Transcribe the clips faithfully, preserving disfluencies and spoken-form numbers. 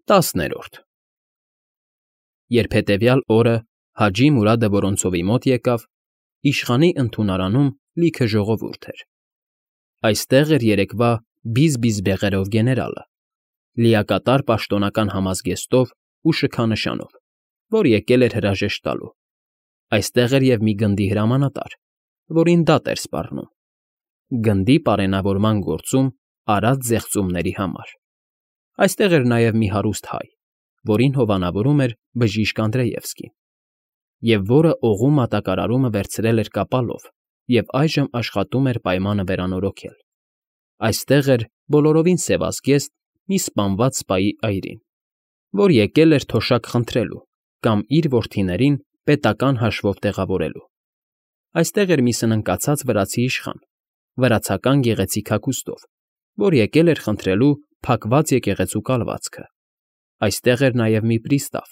Տասներորդ Երբ հետևյալ օրը Հաջի Մուրադը Որոնցովի մոտ եկավ, իշխանի ընդունարանում լիքը ժողովուրդ էր. այստեղ էր երեկվա բիզ֊բիզ բեղերով գեներալը, լիակատար պաշտոնական համազգեստով ու շքանշանով, որ եկել էր հրաժեշտ տալու. այստեղ էր և մի գնդի հրամանատար, որին դատ էր սպառնում, գնդի պարենավորման գործում արած զեղծումների համար. այստեղ էր նաև մի հարուստ հայ, որին հովանավորում էր բժիշկ Անդրեևսկին, և որը օղու մատակարարումը վերցրել էր կապալով և այժմ աշխատում էր պայմանը վերանորոգել. այստեղ էր բոլորովին սևազգեստ մի սպանված սպայի այրին, որ եկել էր թոշակ խնդրելու կամ իր որդիներին պետական հաշվով տեղավորելու. այստեղ էր մի սնանկացած վրացի իշխան, վրացական գեղեցիկ հագուստով, որ եկել էր խնդրելու փակված եկեղեցու կալվածքը. այստեղ էր նաև մի պրիստավ,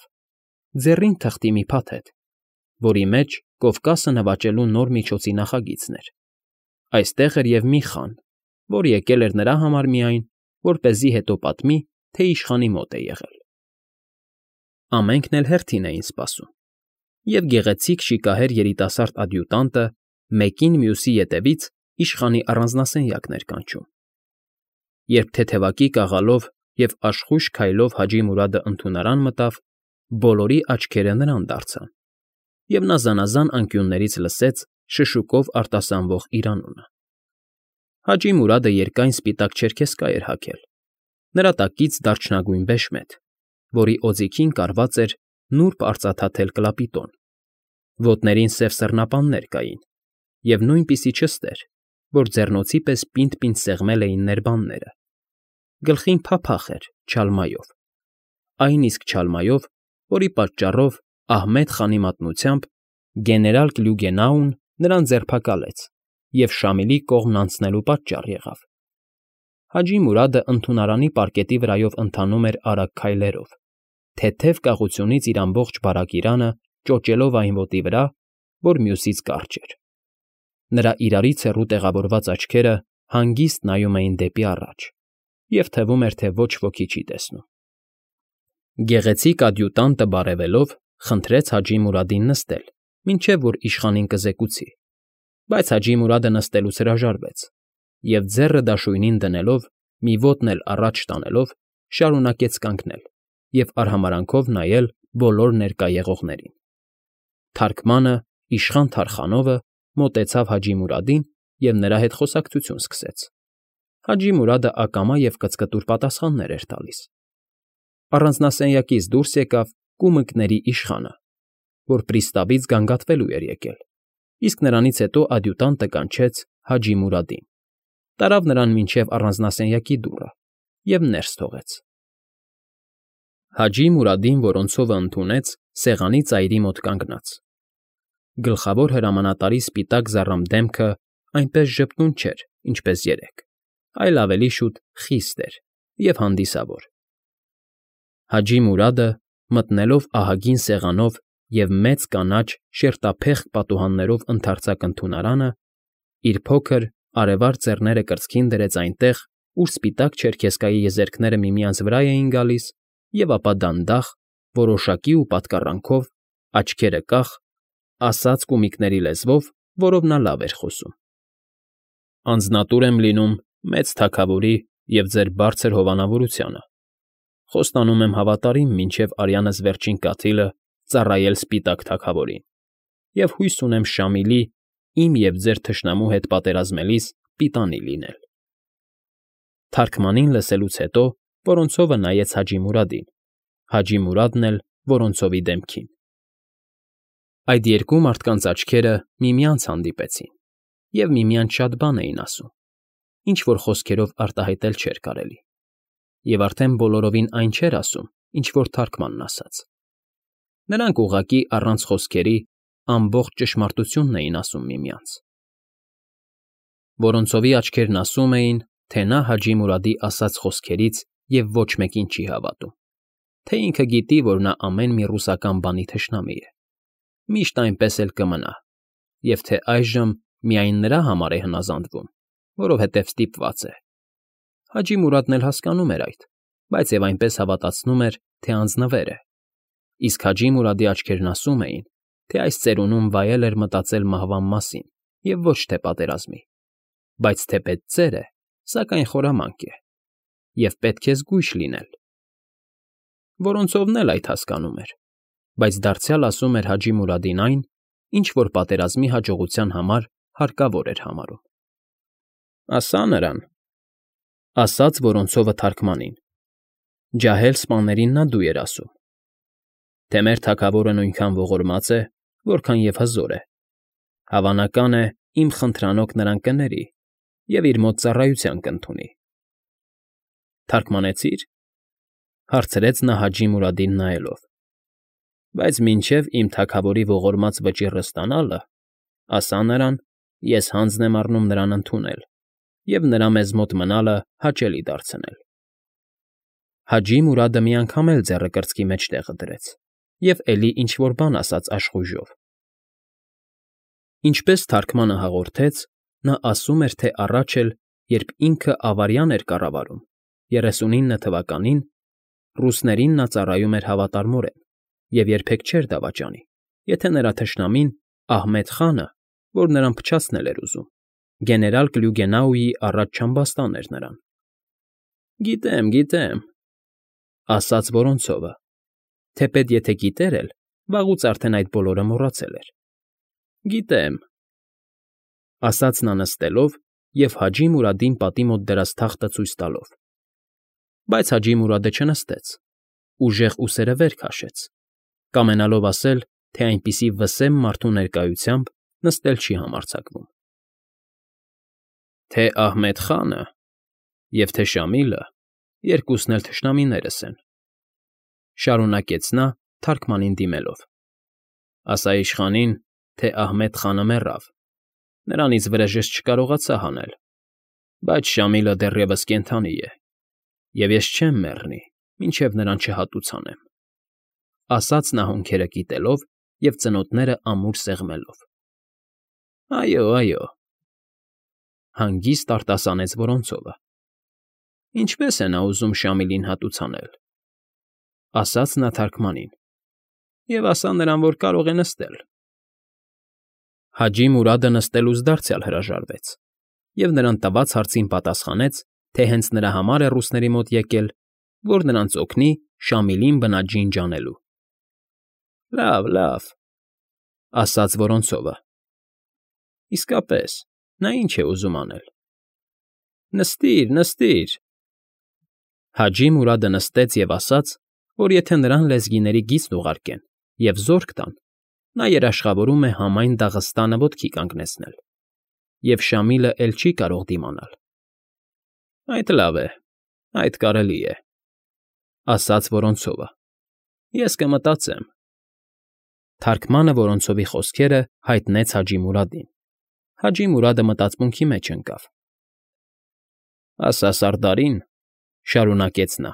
ձեռին թղթի մի փաթեթ, որի մեջ Կովկասը նվաճելու նոր միջոցի նախագիծն էր. այստեղ էր և մի խան, որ եկել էր նրա համար միայն, որպեսզի հետո պատմի, թե իշխանի մոտ է եղել. ամենքն էլ հերթին էին սպասում, և գեղեցիկ շիկահեր երիտասարդ ադյուտանտը մեկին մյուսի ետևից իշխանի առանձնասենյակն էր կանչում. Երբ թեթևակի կաղալով և աշխույժ քայլով Հաջի Մուրադը ընդունարան մտավ, բոլորի աչքերը նրան դարձան, և նա զանազան անկյուններից լսեց շշուկով արտասանվող իր անունը. Հաջի Մուրադը երկայն սպիտակ չերքեզկա էր հագել, նրա տակից դարչնագույն բեշմետ, որի օձիքին կարված էր նուրբ արծաթաթել կլապիտոն, ոտներին սև սռնապաններ կային, և նույնպիսի չստեր, որ ձեռնոցի պես պինդ֊պինդ սեղմել էին ներբանները, գլխին փափախ էր չալմայով, այն իսկ չալմայով, որի պատճառով Ահմեդ խանի մատնությամբ գեներալ Կլյուգենաուն նրան ձերբակալեց և Շամիլի կողմն անցնելու պատճառ եղավ. Հաջի Մուրադը ընդունարանի պարկետի վրայով ընթանում էր արագ քայլերով, թեթև կաղությունից իր ամբողջ բարագիրանը ճոճելով այն ոտի վրա, որ մյուսից կարճ էր. նրա իրարից հեռու տեղավորված աչքերը հանգիստ նայում էին դեպի առաջ, և թվում էր, թե ոչ ոքի չի տեսնում. Գեղեցիկ ադյուտանտը բարևելով խնդրեց Հաջի Մուրադին նստել, մինչև որ իշխանին կզեկուցի, բայց Հաջի Մուրադը նստելուց հրաժարվեց և ձեռը դաշույնին դնելով, մի ոտն էլ առաջ տանելով, շարունակեց կանգնել և արհամարհանքով նայել բոլոր ներկա եղողներին. թարգմանը, իշխան Թարխանովը, մոտեցավ Հաջի Մուրադին և նրա հետ խոսակցություն սկսեց. Հաջի Մուրադը ակամա և կծկտուր պատասխաններ էր տալիս. առանձնասենյակից դուրս եկավ կումկների իշխանը, որ պրիստավից գանգատվելու էր եկել, իսկ նրանից հետո ադյուտանտը կանչեց Հաջի Մուրադին, տարավ նրան մինչև առանձնասենյակի դուռը և ներս թողեց. Հաջի Մուրադին Որոնցովը ընդունեց սեղանի ծայրի մոտ կանգնած. գլխավոր հրամանատարի սպիտակ զառամ դեմքը այնպես ժպտուն չէր, ինչպես երեկ, այլ ավելի շուտ խիստ էր և հանդիսավոր. Հաջի Մուրադը, մտնելով ահագին սեղանով և մեծ կանաչ շերտափեղկ պատուհաններով ընդարձակ ընդունարանը, իր փոքր, արևարդ ձեռները կրծքին դրեց այնտեղ, ուր սպիտակ չերքեզկայի եզերքները միմյանց վրա էին գալիս, և ապա դանդաղ, որոշակի ու պատկառանքով, աչքերը կախ, ասաց կումիկների լեզվով, որով նա լավ էր խոսում. Անձնատուր եմ լինում մեծ թագավորի և ձեր բարձր հովանավորությանը, խոստանում եմ հավատարիմ մինչև արյանս վերջին կաթիլը ծառայել սպիտակ թագավորին և հույս ունեմ Շամիլի, իմ և ձեր թշնամու հետ պատերազմելիս պիտանի լինել։ Թարգմանին լսելուց հետո Որոնցովը նայեց Հաջի Մուրադին, Հաջի Մուրադն էլ Որոնցովի դեմքին. Այդ երկու մարդկանց աչքերը միմյանց հանդիպեցին և միմյանց շատ բան էին ասում, ինչ֊որ խոսքերով արտահայտել չէր կարելի, և արդեն բոլորովին այն չէր ասում, ինչ որ թարգմանն ասաց. նրանք ուղղակի առանց խոսքերի ամբողջ ճշմարտությունն էին ասում միմյանց. Որոնցովի աչքերն ասում էին, թե նա Հաջի Մուրադի ասած խոսքերից և ոչ մեկին չի հավատում, թե ինքը գիտի, որ նա ամեն մի ռուսական բանի թշնամի է, միշտ այնպես էլ կմնա, և թե այժմ միայն նրա համար է հնազանդվում, որովհետև ստիպված է. Հաջի Մուրադն էլ հասկանում էր այդ, բայց և այնպես հավատացնում էր, թե անձնվեր է, իսկ Հաջի Մուրադի աչքերն ասում էին, թե այս ծերունում վայել էր մտածել մահվան մասին և ոչ թե պատերազմի, բայց թեպետ ծեր է, սակայն խորամանկ է, և պետք է զգույշ լինել։ Որոնցովն էլ այդ հասկանում էր, բայց դարձյալ ասում էր Հաջի Մուրադին այն, ինչ որ պատերազմի հաջողության համար հարկավոր էր համարում։ ֊ Ասա նրան,֊ ասաց Որոնցովը թարգմանին. ջահել սպաներին նա դու էր ասում, թե մեր թագավորը նույնքան ողորմած է, որքան և հզոր է, հավանական է, իմ խնդրանոք նրան կների և իր մոտ ծառայության կընդունի։ ֊ Թարգմանեցի՞ր,֊ հարցրեց նա Հաջի Մուրադին նայելով։ ֊ Բայց մինչև իմ թագավորի ողորմած վճիռն ստանալը, ասա նրան, ես հանձն եմ առնում նրան ընդունել և նրա մեզ մոտ մնալը հաճելի դարձնել։ Հաջի Մուրադը մի անգամ էլ ձեռը կրծքի մեջտեղը դրեց և էլի ինչ֊որ բան ասաց աշխույժով։ Ինչպես թարգմանը հաղորդեց, նա ասում էր, թե առաջ էլ, երբ ինքը Ավարյան էր կառավարում, երեսունինը թվականին, ռուսներին նա ծառայում էր հավատարմորեն և երբեք չէր դավաճանի, եթե նրա թշնամին՝ Ահմեդ խանը, որ նրան փչացնել էր ուզում, գեներալ Կլյուգենաուի առաջ չամբաստան էր նրան։ ֊ Գիտեմ, գիտեմ,֊ ասաց Որոնցովը, թեպետ եթե գիտեր էլ, վաղուց արդեն այդ բոլորը մոռացել էր։ ֊ Գիտեմ,֊ ասաց նա նստելով և Հաջի Մուրադին պատի մոտ դրած թախտը ցույց տալով։ Բայց Հաջի Մուրադը չնստեց, ուժեղ ուսերը վեր քաշեց, կամենալով ասել, թե այնպիսի վսեմ մարդու ներկայությամբ նստել չի համարձակվում։ ֊ Թե Ահմեդ խանը և թե Շամիլը երկուսն էլ թշնամիներս են,֊ շարունակեց նա թարգմանին դիմելով,֊ ասա իշխանին, թե Ահմեդ խանը մեռավ, նրանից վրեժս չկարողացա հանել, բայց Շամիլը դեռևս կենդանի է, և ես չեմ մեռնի, մինչև նրան չհատուցանեմ,֊ ասաց նա հոնքերը կիտելով և ծնոտները ամուր սեղմելով։ ֊ Այո, այո,֊ հանգիստ արտասանեց Որոնցովը։ ֊ Ինչպե՞ս է նա ուզում Շամիլին հատուցանել,֊ ասաց նա թարգմանին,֊ և ասա նրան, որ կարող է նստել։ Հաջի Մուրադը նստելուց դարձյալ հրաժարվեց և նրան տված հարցին պատասխանեց, թե հենց նրա համար է ռուսների մոտ եկել, որ նրանց օգնի Շամիլին բնաջինջ անելու։ ֊ Լավ, լավ,֊ ասաց Որոնցովը։ ֊ Իսկապես, նա ի՞նչ է ուզում անել։ ֊ Նստիր, նստիր,֊ Հաջի Մուրադը նստեց և ասաց, որ եթե նրան լեզգիների գիծն ուղարկեն և զորք տան, նա երաշխավորում է համայն Դաղստանը ոտքի կանգնեցնել, և Շամիլը էլ չի կարող դիմանալ։ ֊ Այդ լավ է, այդ կարելի է,֊ ասաց Որոնցովը։ ֊ Ես կմտածեմ։ Թարգմանը Որոնցովի խոսքերը հայտնեց Հաջի Մուրադին։ Հաջի Մուրադը մտածմունքի մեջ ընկավ։ ֊ Ասա Սարդարին,֊ շարունակեց նա,֊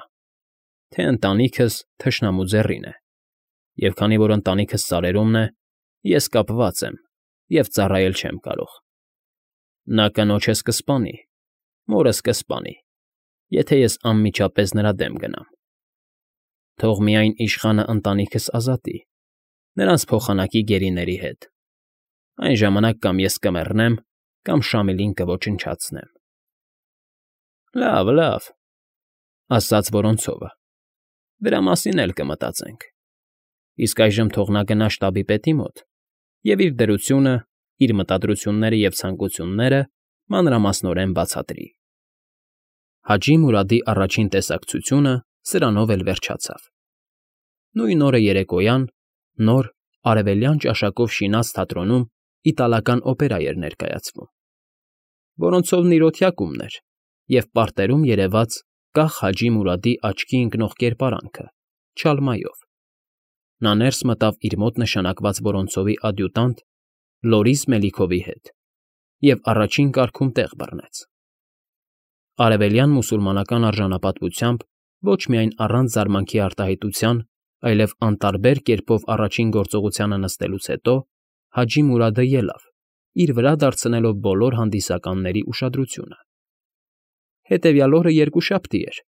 թե ընտանիքս թշնամու ձեռին է, և քանի որ ընտանիքս սարերումն է, ես կապված եմ և ծառայել չեմ կարող։ Նա կնոջս կսպանի, մորս կսպանի, եթե ես անմիջապես նրա դեմ գնամ։ Թող միայն իշխանը ընտանիքս ազատի, նրանց փոխանակի գերիների հետ, այն ժամանակ կամ ես կմեռնեմ, կամ Շամիլին կոչնչացնեմ։ ֊ Լավ, լավ,֊ ասաց Որոնցովը,֊ դրա մասին էլ կմտածենք։ Իսկ այժմ թող նա գնա շտաբի պետի մոտ և իր դրությունը, իր մտադրությունները և ցանկությունները մանրամասնորեն բացատրի։ Հաջի Մուրադի առաջին տեսակցությունը սրանով էլ վերջացավ։ Նույն օրը երեկոյան նոր, արևելյան ճաշակով շինած թատրոնում իտալական օպերա էր ներկայացվում։ Որոնցովն իր օթյակումն էր, և պարտերում երևաց կախ Հաջի Մուրադի աչքի ընկնող կերպարանքը՝ չալմայով։ Նա ներս մտավ իր մոտ նշանակված Որոնցովի ադյուտանտ Լորիս Մելիքովի հետ և առաջին կարգում տեղ բռնեց։ Արևելյան մուսուլմանական արժանապատվությամբ ոչ միայն առանց զարմանքի արտահայտության, այլև անտարբեր կերպով առաջին գործողությանը նստելուց հետո Հաջի Մուրադը ելավ, իր վրա դարձնելով բոլոր հանդիսականների ուշադրությունը։ Հետևյալ օրը երկուշաբթի էր,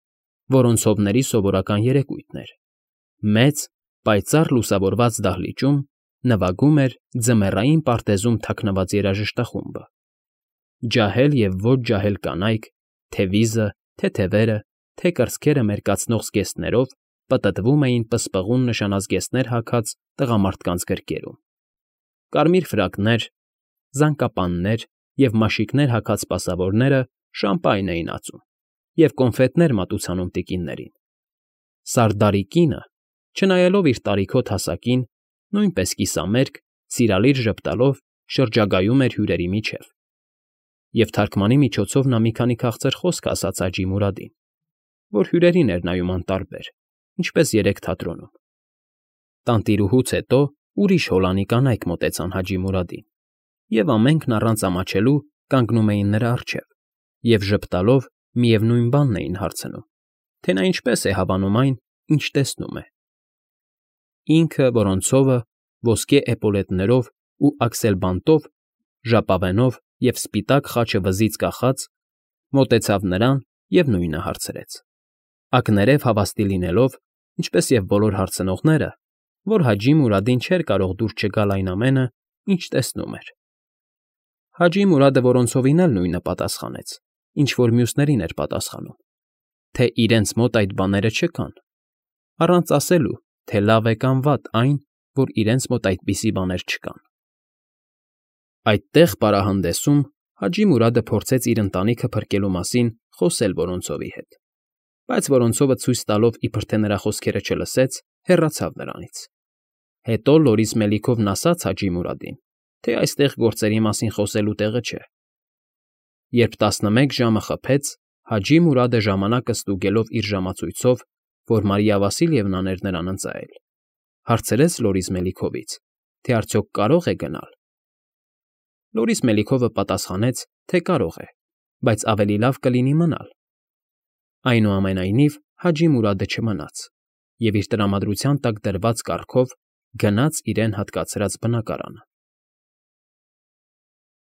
Որոնցովների սովորական երեկույթն էր։ Մեծ, պայծառ լուսավորված դահլիճում նվագում էր ձմեռային պարտեզում թաքնված երաժշտախումբը։ Ջահել և ոչ ջահել կանայք, թե՛ վիզը, թե՛ թևերը, թե՛ կրծքերը մերկացնող զգեստներով պտտվում էին պսպղուն նշանազգեստներ հագած տղամարդկանց գրկերում։ Կարմիր ֆրակներ, զանկապաններ և մաշիկներ հագած սպասավորները շամպայն էին ածում և կոնֆետներ մատուցանում տիկիններին։ Սարդարի կինը, չնայելով իր տարիքոտ հասակին, նույնպես կիսամերկ, սիրալիր ժպտալով շրջագայում էր հյուրերի միջև, և թարգմանի միջոցով նա մի քանի քաղցր խոսք ասաց Հաջի Մուրադին, որ հյուրերին էր նայում անտարբեր, ինչպես երեկ թատրոնում։ Տանտիրուհուց հետո ուրիշ հոլանի կանայք մոտեցան Հաջի Մուրադին, և ամենքն առանց ամաչելու կանգնում էին նրա առջև և ժպտալով միևնույն բանն էին հարցնում, թե նա ինչպես է հավանում այն, ինչ տեսնում է։ Ինքը, Որոնցովը, ոսկե էպոլետներով ու աքսելբանտով, ժապավենով և սպիտակ խաչը վզից կախած, մոտեցավ նրան և նույնը հարցրեց, ակներև հավաստի լինելով, ինչպես և բոլոր հարցնողները, որ Հաջի Մուրադին չէր կարող դուր չգալ այն ամենը, ինչ տեսնում էր։ Հաջի Մուրադը Որոնցովին էլ նույնը պատասխանեց, ինչ որ մյուսներին էր պատասխանում, թե իրենց մոտ այդ բաները չկան, առանց ասելու, թե լավ է կամ վատ այն, որ իրենց մոտ այդպիսի բաներ չկան։ Այդտեղ պարահանդեսում Հաջի Մուրադը փորձեց իր ընտանիքը փրկելու մասին խոսել Որոնցովի հետ, բայց Որոնցովը ցույց տալով, իբր թե նրա խոսքերը չլսեց, հեռացավ նրանից։ Հետո լորից մելիքովն ասաց Հաջի Մուրադին, թե այստեղ գործերի մասին խոսելու տեղը չէ։ Երբ տասնմեկ ժամը խփեց, Հաջի Մուրադը ժամանակը ստուգելով իր ժամացույցով, որ Մարիա Վասիլյևնան էր նրան ընծայել, հարցրեց Լորիս Մելիքովից, թե արդյոք կարո՞ղ է գնալ։ Լորիս Մելիքովը պատասխանեց, թե կարող է, բայց ավելի լավ կլինի մնալ։ Այնուամենայնիվ Հաջի Մուրադը չմնաց և իր տրամադրության տակ դրված կառքով գնաց իրեն հատկացրած բնակարանը։